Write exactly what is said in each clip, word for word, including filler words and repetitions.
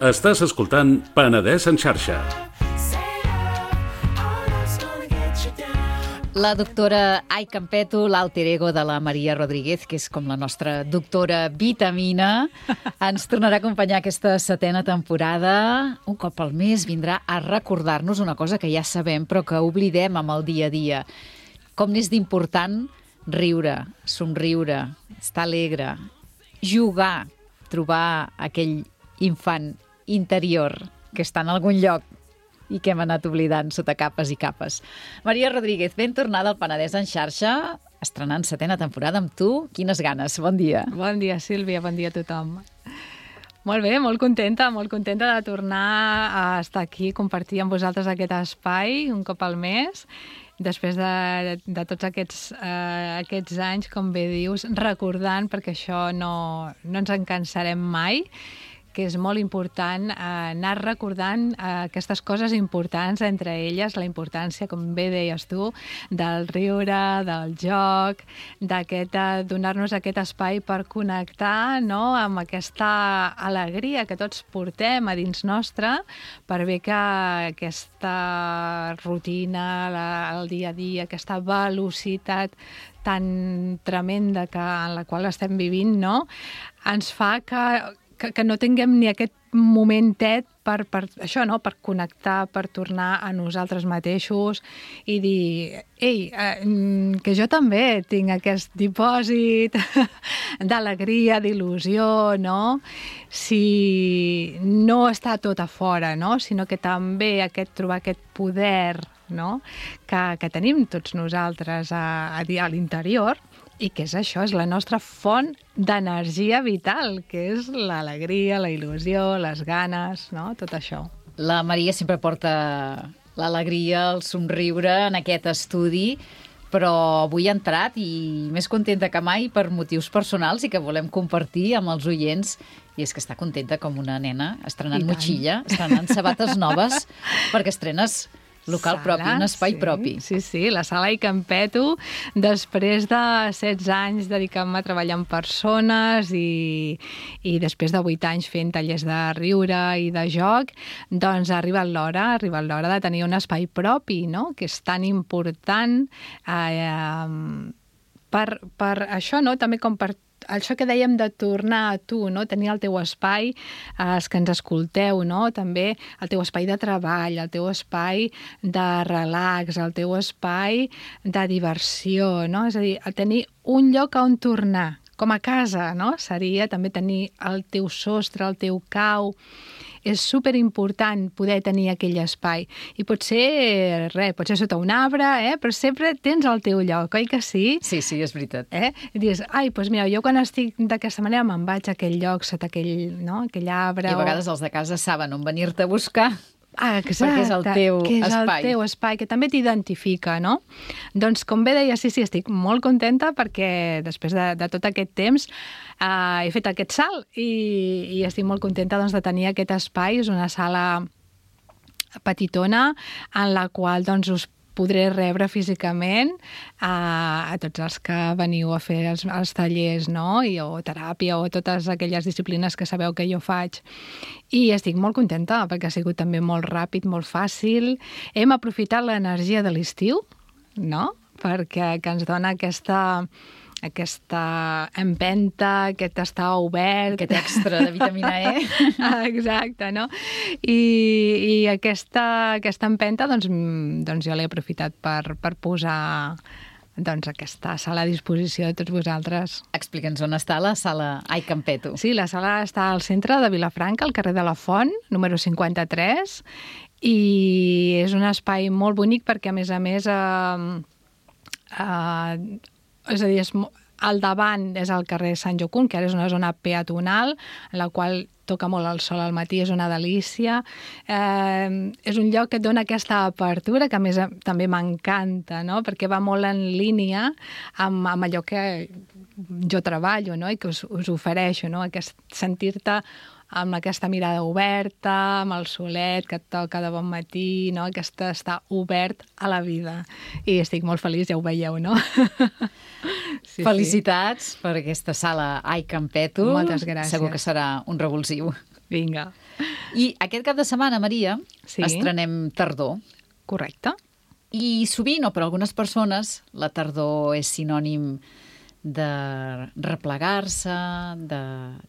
Estàs escoltant Penedès en xarxa. La doctora Ai Campeto, l'alter ego de la Maria Rodríguez, que és com la nostra doctora vitamina, ens tornarà a acompanyar aquesta setena temporada. Un cop al mes vindrà a recordar-nos una cosa que ja sabem però que oblidem amb el dia a dia. Com n'és d'important riure, somriure, estar alegre, jugar, trobar aquell infant interior que està en algun lloc i que hem anat oblidant sota capes i capes. Maria Rodríguez, ben tornada al Penedès en xarxa, estrenant setena temporada amb tu. Quines ganes, bon dia. Bon dia, Sílvia, bon dia a tothom. Molt bé, molt contenta, molt contenta de tornar a estar aquí, compartir amb vosaltres aquest espai un cop al mes, després de, de tots aquests, eh, aquests anys, com bé dius, recordant, perquè això no, no ens en cansarem mai, que és molt important eh, anar recordant eh, aquestes coses importants, entre elles la importància, com bé deies tu, del riure, del joc, d'aquest, eh, donar-nos aquest espai per connectar, no?, amb aquesta alegria que tots portem a dins nostre, per bé que aquesta rutina, la, el dia a dia, aquesta velocitat tan tremenda que, en la qual estem vivint, no?, ens fa que Que, que no tinguem ni aquest momentet per, per això, no? Per connectar, per tornar a nosaltres mateixos i dir, ei, eh, que jo també tinc aquest dipòsit d'alegria, d'il·lusió, no? Si no està tot a fora, no? Sinó que també aquest, trobar aquest poder, no?, que, que tenim tots nosaltres a, a, a l'interior, i que és això, és la nostra font d'energia vital, que és l'alegria, la il·lusió, les ganes, no?, tot això. La Maria sempre porta l'alegria, el somriure en aquest estudi, però avui ha entrat i més contenta que mai per motius personals i que volem compartir amb els oients, i és que està contenta com una nena, estrenant motxilla, estrenant sabates noves, perquè estrenes local sala, propi, un espai sí, propi. Sí, sí, la sala Ai Campeto, després de setze anys dedicant-me a treballar amb persones i, i després de vuit anys fent tallers de riure i de joc, doncs ha arribat l'hora, ha arribat l'hora de tenir un espai propi, no?, que és tan important eh, per, per això, no?, també com per això que dèiem de tornar a tu, no?, tenir el teu espai, eh, els que ens escolteu, no?, també el teu espai de treball, el teu espai de relax, el teu espai de diversió, no?, és a dir, tenir un lloc on tornar, com a casa, no?, seria també tenir el teu sostre, el teu cau. És superimportant poder tenir aquell espai. I pot ser, res, pot ser sota un arbre, eh? Però sempre tens el teu lloc, oi que sí? Sí, sí, és veritat. Eh? I dius, ai, doncs mira, jo quan estic d'aquesta manera me'n vaig a aquell lloc, sota aquell, no? aquell arbre. I a vegades o... els de casa saben on venir-te a buscar. Ah, exacte, perquè és el teu que és espai. el teu espai, que també t'identifica, no? Doncs, com bé deia, sí, sí, estic molt contenta perquè després de, de tot aquest temps eh, he fet aquest salt i, i estic molt contenta, doncs, de tenir aquest espai. És una sala petitona en la qual, doncs, us podré rebre físicament a, a tots els que veniu a fer els, els tallers, no?, I, o teràpia o totes aquelles disciplines que sabeu que jo faig. I estic molt contenta perquè ha sigut també molt ràpid, molt fàcil. Hem aprofitat l'energia de l'estiu, no?, perquè que ens dona aquesta... aquesta empenta, aquest estar obert... Aquest extra de vitamina E. Exacte, no? I, i aquesta, aquesta empenta, doncs, doncs jo l'he aprofitat per, per posar doncs, aquesta sala a disposició de tots vosaltres. Explica'ns on està la sala Ai Campeto. Sí, la sala està al centre de Vilafranca, al carrer de la Font, número cinquanta-tres, i és un espai molt bonic perquè, a més a més, eh, eh, és a dir, és, al davant és el carrer Sant Jocund, que ara és una zona peatonal, en la qual toca molt el sol al matí, és una delícia. Eh, és un lloc que et dona aquesta apertura, que a més també m'encanta, no?, perquè va molt en línia amb, amb allò que jo treballo, no?, i que us, us ofereixo, no?, aquest sentir-te amb aquesta mirada oberta, amb el solet que et toca de bon matí, no?, aquest estar obert a la vida. I estic molt feliç, ja ho veieu, no? Sí, Felicitats sí. per aquesta sala Ai Campeto. Moltes gràcies. Segur que serà un revulsiu. Vinga. I aquest cap de setmana, Maria, Sí. estrenem tardor. Correcte. I sovint, o per algunes persones, la tardor és sinònim de replegar-se, de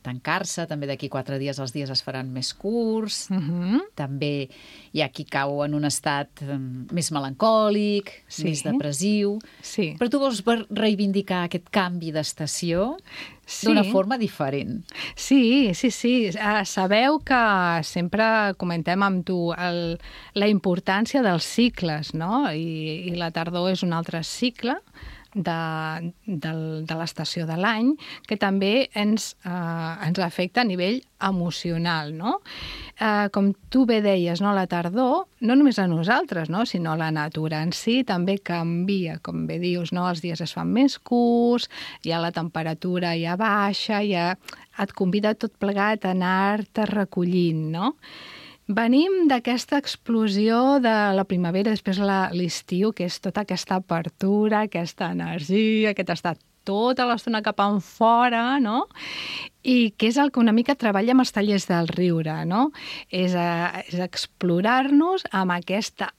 tancar-se. També d'aquí quatre dies els dies es faran més curts. Uh -huh. També hi ha qui cau en un estat eh, més melancòlic, Sí. més depressiu. Sí. Però tu vols ver- reivindicar aquest canvi d'estació Sí. d'una forma diferent. Sí, sí, sí. Uh, sabeu que sempre comentem amb tu el, la importància dels cicles, no? I, i la tardor és un altre cicle de, de, de l'estació de l'any que també ens, uh, ens afecta a nivell emocional, no? Uh, com tu bé deies, no? La tardor, no només a nosaltres, no? Sinó la natura en si també canvia, com bé dius, no? Els dies es fan més curts, ja la temperatura ja baixa, ja et convida tot plegat a anar-te recollint, no? Venim d'aquesta explosió de la primavera, després la- l'estiu, que és tota aquesta apertura, aquesta energia, aquest estat tota l'estona cap en fora, no? I que és el que una mica treballa amb els tallers del riure, no? És, a, és explorar-nos amb aquesta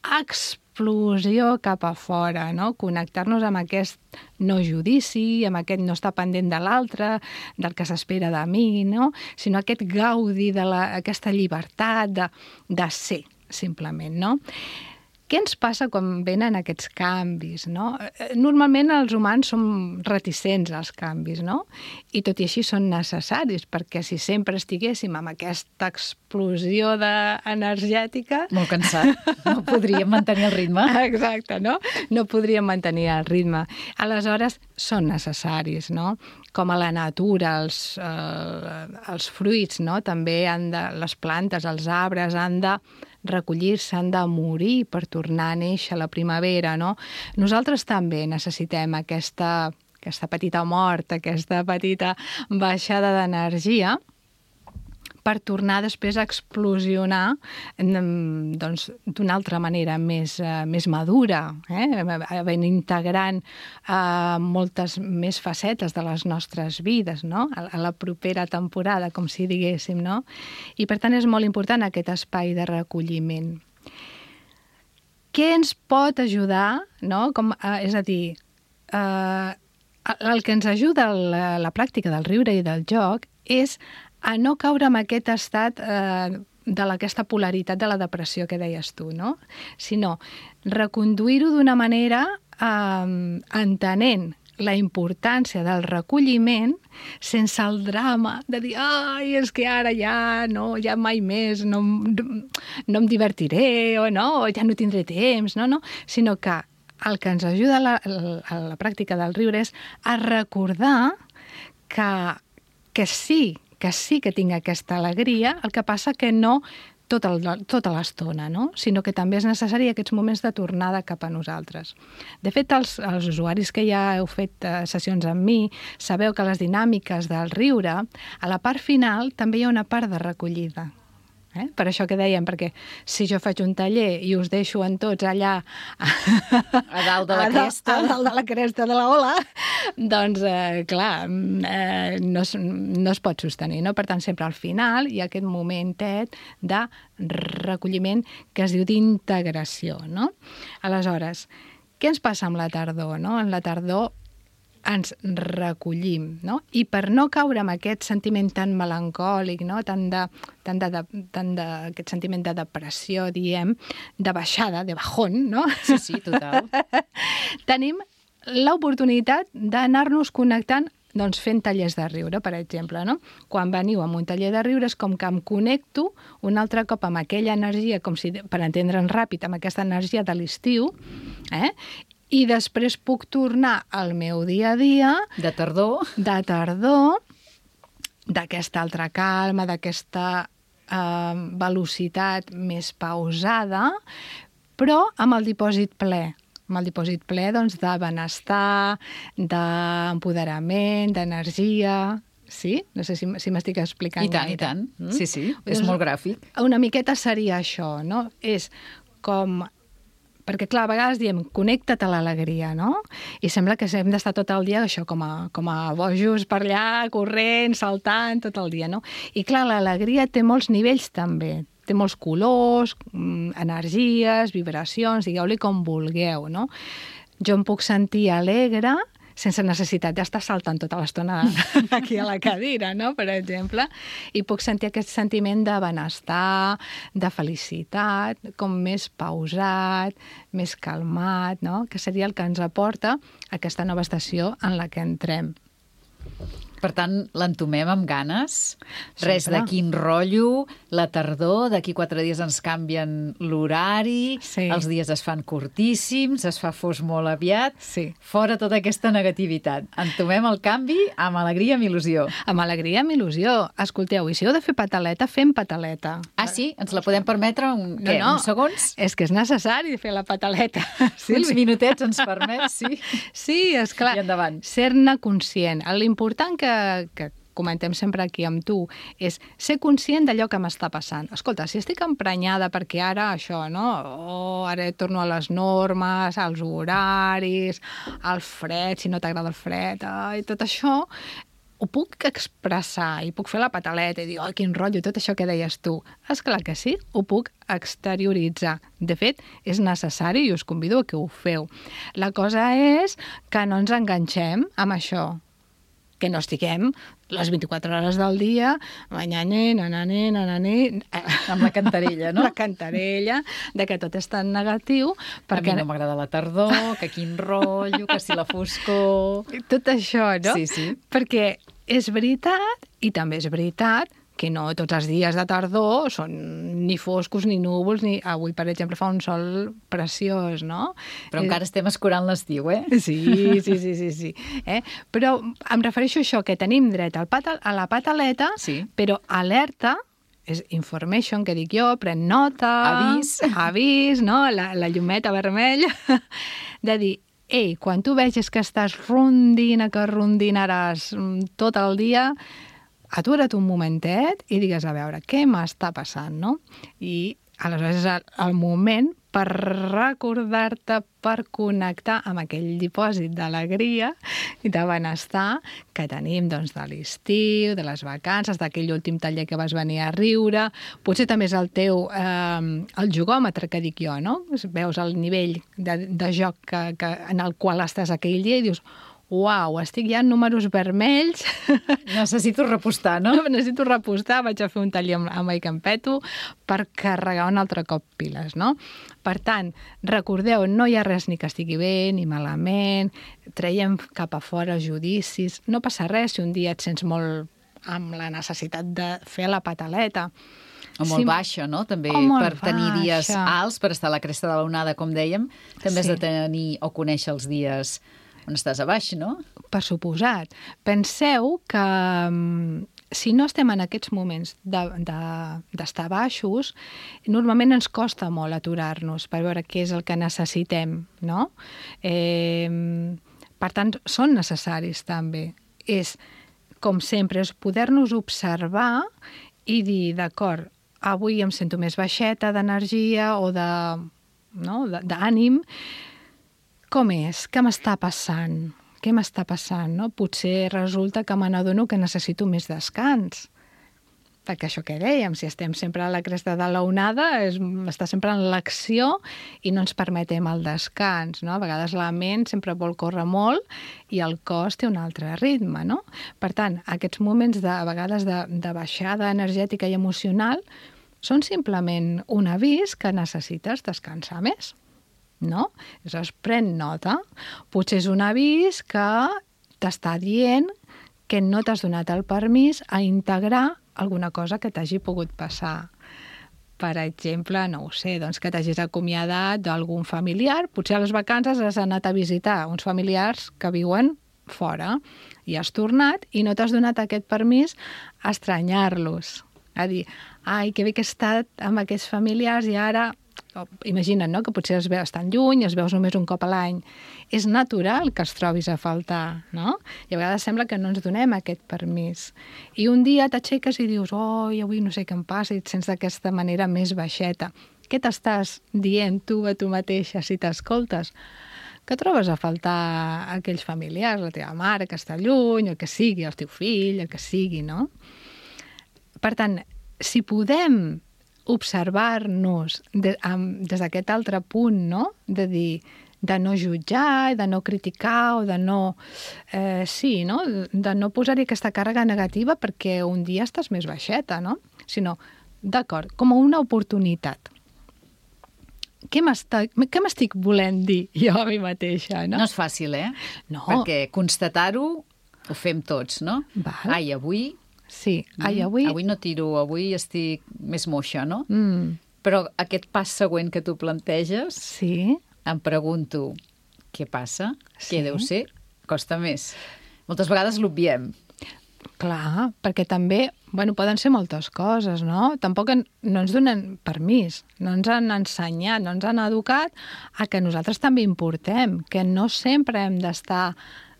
explosió cap a fora, no? Connectar-nos amb aquest no judici, amb aquest no estar pendent de l'altre, del que s'espera de mi, no? Sinó aquest gaudi de la, aquesta llibertat de, de ser, simplement, no? Què ens passa quan venen aquests canvis, no? Normalment els humans som reticents als canvis, no? I tot i així són necessaris, perquè si sempre estiguéssim amb aquesta explosió de... energètica... Molt cansat. No podríem mantenir el ritme. Exacte, no? No podríem mantenir el ritme. Aleshores, són necessaris, no? Com a la natura, els, eh, els fruits, no? També han de... les plantes, els arbres han de recollir-se, han de morir per tornar a néixer a la primavera, no? Nosaltres també necessitem aquesta, aquesta petita mort, aquesta petita baixada d'energia per tornar després a explosionar mm, doncs, d'una altra manera més, eh, més madura, eh? Ben integrant eh, moltes més facetes de les nostres vides, no? A, a la propera temporada, com si diguéssim, no? I per tant és molt important aquest espai de recolliment. Què ens pot ajudar, no? Com, eh, és a dir, eh, el que ens ajuda la, la pràctica del riure i del joc és a no caure en aquest estat eh, de aquesta polaritat de la depressió que deies tu, no? Sinó reconduir-ho d'una manera eh, entenent la importància del recolliment sense el drama de dir ai, és que ara ja, no, ja mai més, no, no em divertiré, o no, ja no tindré temps, no, no, sinó que el que ens ajuda a la, a la pràctica del riure és a recordar que, que sí, que sí que tinc aquesta alegria, el que passa que no tot el, tota l'estona, no? Sinó que també és necessari aquests moments de tornada cap a nosaltres. De fet, els, els usuaris que ja heu fet uh, sessions amb mi, sabeu que les dinàmiques del riure, a la part final també hi ha una part de recollida. Eh? Per això que dèiem, perquè si jo faig un taller i us deixo en tots allà a dalt de la cresta, a dalt de la cresta de la ola, doncs, eh, clar, eh, no, es, no es pot sostenir, no? Per tant, sempre al final hi ha aquest momentet de recolliment que es diu d'integració, no? Aleshores, què ens passa amb la tardor, no? En la tardor ens recollim, no? I per no caure en aquest sentiment tan melancòlic, no? Tan de, tan de, de, tan de, aquest sentiment de depressió, diem, de baixada, de bajón, no? Sí, sí, total. Tenim l'oportunitat d'anar-nos connectant doncs fent tallers de riure, per exemple, no? Quan veniu a un taller de riure és com que em connecto un altre cop amb aquella energia, com si, per entendre'ns ràpid, amb aquesta energia de l'estiu, eh? I després puc tornar al meu dia a dia... De tardor. De tardor, d'aquesta altra calma, d'aquesta eh, velocitat més pausada, però amb el dipòsit ple. Amb el dipòsit ple, doncs, de benestar, d'empoderament, d'energia... Sí? No sé si, si m'estic explicant. I tant, gaire. i tant. Mm? Sí, sí, és molt gràfic. Una miqueta seria això, no? És com perquè, clar, a vegades diem, connecta't a l'alegria, no? I sembla que hem d'estar tot el dia això com a, com a bojos per allà, corrent, saltant, tot el dia, no? I, clar, l'alegria té molts nivells també. Té molts colors, energies, vibracions, digueu-li com vulgueu, no? Jo em puc sentir alegre sense necessitat d'estar saltant tota l'estona aquí a la cadira, no?, per exemple, i puc sentir aquest sentiment de benestar, de felicitat, com més pausat, més calmat, no?, que seria el que ens aporta aquesta nova estació en la que entrem. Per tant, l'entomem amb ganes. Sempre. Res de quin rotllo, la tardor, d'aquí quatre dies ens canvien l'horari, sí. Els dies es fan curtíssims, es fa fos molt aviat. Sí. Fora tota aquesta negativitat. Entomem el canvi amb alegria, amb il·lusió. Amb alegria, amb il·lusió. Escolteu, i si heu de fer pataleta, fem pataleta. Ah, sí? Ens la podem permetre un, no, què, no. uns segons? És que és necessari fer la pataleta. Sí, uns minutets ens permet, sí. Sí, esclar. I endavant. Ser-ne conscient. L'important que, que comentem sempre aquí amb tu és ser conscient d'allò que m'està passant. Escolta, si estic emprenyada perquè ara això, no? Oh, ara torno a les normes, als horaris, al fred, si no t'agrada el fred, i tot això, ho puc expressar i puc fer la pataleta i dir, oh, quin rotllo, tot això que deies tu. Esclar que sí, ho puc exterioritzar. De fet, és necessari i us convido a que ho feu. La cosa és que no ens enganxem amb això, que no estiguem les vint-i-quatre hores del dia, banyane, nanane, nanane... Amb la cantarella, no? La cantarella, de que tot és tan negatiu. Perquè... A mi no m'agrada la tardor, que quin rotllo, que si la foscor... Tot això, no? Sí, sí. Perquè és veritat, i també és veritat, que no tots els dies de tardor són ni foscos ni núvols, ni avui, per exemple, fa un sol preciós, no? Però encara estem escurant l'estiu, eh? Sí, sí, sí, sí, sí. Eh? Però em refereixo a això, que tenim dret al patal, a la pataleta, sí. Però alerta, és information, que dic jo, pren nota... Avís. Avís, no? La, la llumeta vermella, de dir, ei, quan tu vegis que estàs rondina, que rondinaràs tot el dia, atura't un momentet i digues, a veure, què m'està passant, no? I aleshores és el, el moment per recordar-te, per connectar amb aquell dipòsit d'alegria i de benestar que tenim doncs, de l'estiu, de les vacances, d'aquell últim taller que vas venir a riure. Potser també és el teu eh, el jugòmetre, que dic jo, no? Veus el nivell de, de joc que, que, en el qual estàs aquell dia i dius, uau, estic ja en números vermells. Necessito repostar, no? Necessito repostar, vaig a fer un taller amb, amb I Campeto per carregar un altre cop piles, no? Per tant, recordeu, no hi ha res ni que estigui bé ni malament, traiem cap a fora judicis, no passa res si un dia et sents molt amb la necessitat de fer la pataleta. O molt sí. baixa, no? També per tenir baixa. Dies alts, per estar a la cresta de l'onada, com dèiem, també sí. Has de tenir o conèixer els dies on estàs a baix, no? Per suposat. Penseu que si no estem en aquests moments d'estar de, de, baixos, normalment ens costa molt aturar-nos per veure què és el que necessitem, no? Eh, per tant, són necessaris també. És, com sempre, és poder-nos observar i dir, d'acord, avui em sento més baixeta d'energia o de, no, d'ànim. Com és? Què m'està passant? Què m'està passant? No? Potser resulta que me n'adono que necessito més descans. Perquè això que dèiem, si estem sempre a la cresta de l'onada, és estar sempre en l'acció i no ens permetem el descans. No? A vegades la ment sempre vol córrer molt i el cos té un altre ritme. No? Per tant, aquests moments de, a vegades de, de baixada energètica i emocional són simplement un avís que necessites descansar més. No? Llavors, pren nota. Potser és un avís que t'està dient que no t'has donat el permís a integrar alguna cosa que t'hagi pogut passar. Per exemple, no ho sé, doncs que t'hagis acomiadat d'algun familiar. Potser a les vacances has anat a visitar uns familiars que viuen fora i has tornat i no t'has donat aquest permís a estranyar-los. A dir, ai, que bé que he estat amb aquests familiars i ara... Imagina't, no?, que potser es veus tan lluny, es veus només un cop a l'any. És natural que es trobis a faltar, no? I a vegades sembla que no ens donem aquest permís. I un dia t'aixeques i dius, oh, avui no sé què em passa, i et sents d'aquesta manera més baixeta. què t'estàs dient tu a tu mateixa si t'escoltes? Que trobes a faltar aquells familiars, la teva mare que està lluny, el que sigui, el teu fill, el que sigui, no? Per tant, si podem observar-nos de, amb, des d'aquest altre punt, no? De dir, de no jutjar, de no criticar o de no... Eh, sí, no? De no posar-hi aquesta càrrega negativa perquè un dia estàs més baixeta, no? Sinó, d'acord, com una oportunitat. Què m'estic volent dir jo a mi mateixa, no? No és fàcil, eh? No. Perquè constatar-ho ho fem tots, no? Val. Ai, avui... Sí, ai, avui... Avui no tiro, avui estic més moixa, no? Mm. Però aquest pas següent que tu planteges, Sí. em pregunto, què passa? Sí. Què deu ser? Costa més. Moltes vegades l'obviem. Clar, perquè també, bueno, poden ser moltes coses, no? Tampoc en, no ens donen permís, no ens han ensenyat, no ens han educat a que nosaltres també importem, que no sempre hem d'estar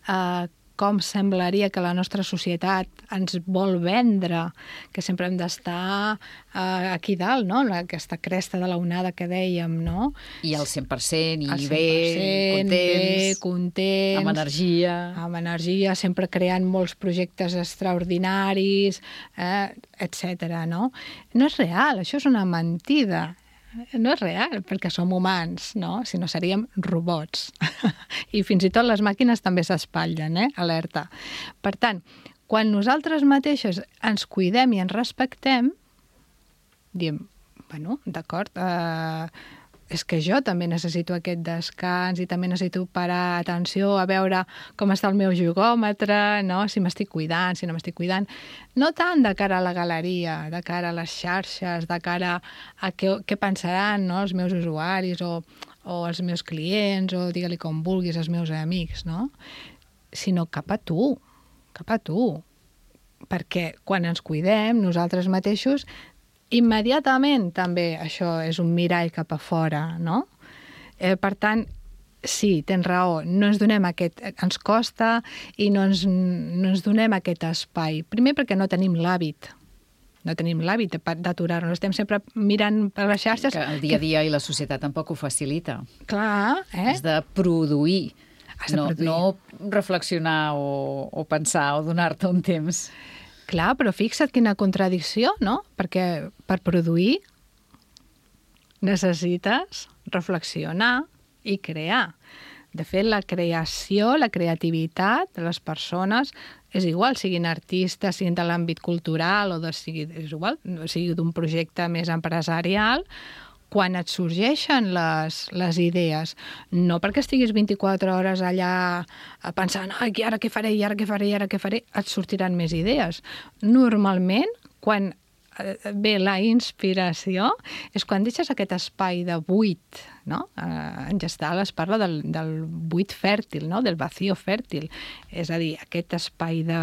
eh, com semblaria que la nostra societat ens vol vendre, que sempre hem d'estar eh, aquí dalt, no? Aquesta cresta de la onada que dèiem, no? I al cent per cent, i Al cent bé, per cent, contents, bé, contents, amb energia... amb energia, sempre creant molts projectes extraordinaris, eh, etcètera, no? No és real, això és una mentida. No és real, perquè som humans, no? Si no seríem robots. I fins i tot les màquines també s'espatllen, eh? Alerta. Per tant, quan nosaltres mateixes ens cuidem i ens respectem, diem, bueno, d'acord, eh, és que jo també necessito aquest descans i també necessito parar atenció a veure com està el meu jugòmetre, no? Si m'estic cuidant, si no m'estic cuidant. No tant de cara a la galeria, de cara a les xarxes, de cara a què, què pensaran, no? Els meus usuaris o, o els meus clients o digue-li com vulguis, els meus amics, no? Sinó cap a tu, cap a tu. Perquè quan ens cuidem, nosaltres mateixos, immediatament també això és un mirall cap a fora, no? Eh, per tant, sí, tens raó, no ens donem aquest... Ens costa i no ens, no ens donem aquest espai. Primer perquè no tenim l'hàbit. No tenim l'hàbit d'aturar-nos. Estem sempre mirant per les xarxes... Que el dia a dia i la societat tampoc ho facilita. Clar, eh? Has de produir, Has de no, produir. no reflexionar o, o pensar o donar-te un temps. Clar, però fixa't quina contradicció, no? Perquè per produir necessites reflexionar i crear. De fet, la creació, la creativitat de les persones és igual, siguin artistes, siguin de l'àmbit cultural o de, sigui, és igual, sigui d'un projecte més empresarial, quan et sorgeixen les, les idees, no perquè estiguis vint-i-quatre hores allà pensant, ai, ara què faré, i ara què faré, i ara què faré, et sortiran més idees. Normalment, quan ve la inspiració, és quan deixes aquest espai de buit, no? En Gestalt es parla del, del buit fèrtil, no? Del vacío fèrtil. És a dir, aquest espai de,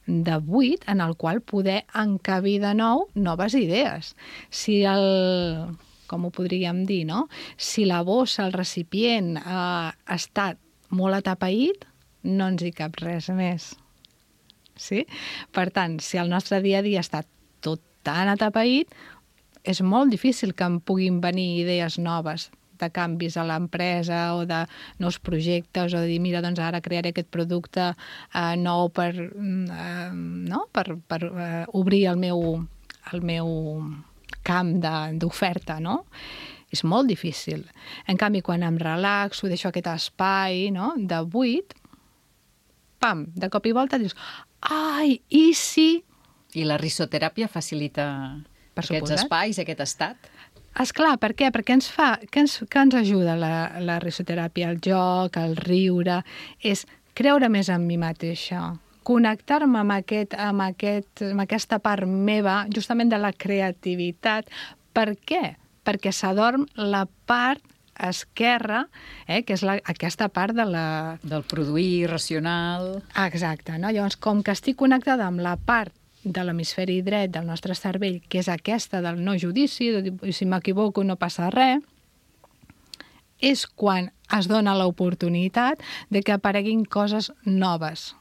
de buit en el qual poder encabir de nou noves idees. Si el... com ho podríem dir, no? Si la bossa, el recipient, eh, ha estat molt atapeït, no ens hi cap res més. Sí? Per tant, si el nostre dia a dia està tot tan atapeït, és molt difícil que em puguin venir idees noves de canvis a l'empresa o de nous projectes o de dir, mira, doncs ara crearé aquest producte eh, nou per, eh, no? per, per eh, obrir el meu, el meu camp d'oferta, no? És molt difícil. En canvi, quan em relaxo, deixo aquest espai, no? De buit, pam, de cop i volta dius, ai, i si... I la risoteràpia facilita Per aquests suposat. espais, aquest estat? Esclar, per què? Perquè ens fa... Què ens, què ens ajuda la, la risoteràpia? El joc, el riure... És creure més en mi mateixa, connectar-me amb, aquest, amb, aquest, amb aquesta part meva, justament de la creativitat. Per què? Perquè s'adorm la part esquerra, eh, que és la, aquesta part de la... Del produir racional... Ah, exacte, no? Llavors, com que estic connectada amb la part de l'hemisferi dret del nostre cervell, que és aquesta del no judici, de dir, si m'equivoco no passa res, és quan es dona l'oportunitat de que apareguin coses noves,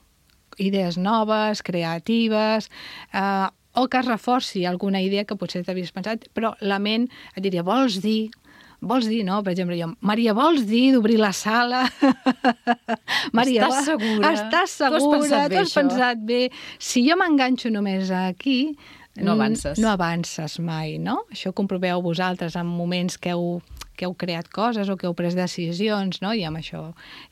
idees noves, creatives, eh, o que es reforci alguna idea que potser t'havies pensat, però la ment et diria, vols dir... Vols dir, no? Per exemple, jo, Maria, vols dir d'obrir la sala? Maria, estàs segura? Estàs segura? Tu has pensat bé? Si jo m'enganxo només aquí... No avances. No avances mai, no? Això ho comproveu vosaltres en moments que heu, que heu creat coses o que heu pres decisions, no? I amb això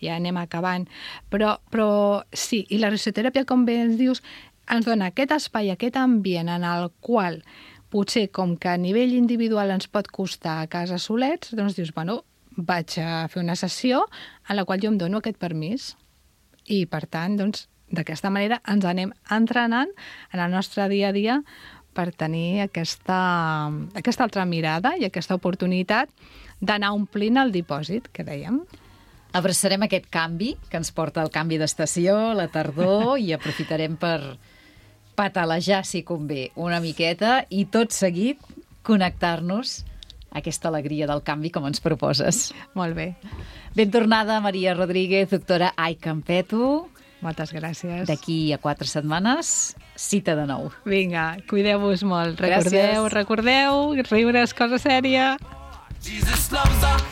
ja anem acabant. Però, però sí, i la risoteràpia, com bé ens dius, ens dona aquest espai, aquest ambient en el qual potser com que a nivell individual ens pot costar a casa solets, doncs dius, bueno, vaig a fer una sessió en la qual jo em dono aquest permís. I, per tant, doncs, d'aquesta manera ens anem entrenant en el nostre dia a dia per tenir aquesta, aquesta altra mirada i aquesta oportunitat d'anar omplint el dipòsit, que dèiem. Abraçarem aquest canvi, que ens porta el canvi d'estació, la tardor, i aprofitarem per patalejar, si convé, una miqueta i tot seguit connectar-nos a aquesta alegria del canvi com ens proposes. Molt bé. Ben tornada, Maria Rodríguez, doctora Ai Campeto. Moltes gràcies. D'aquí a quatre setmanes, cita de nou. Vinga, cuideu-vos molt. Recordeu, Gràcies. recordeu, riure és cosa sèria.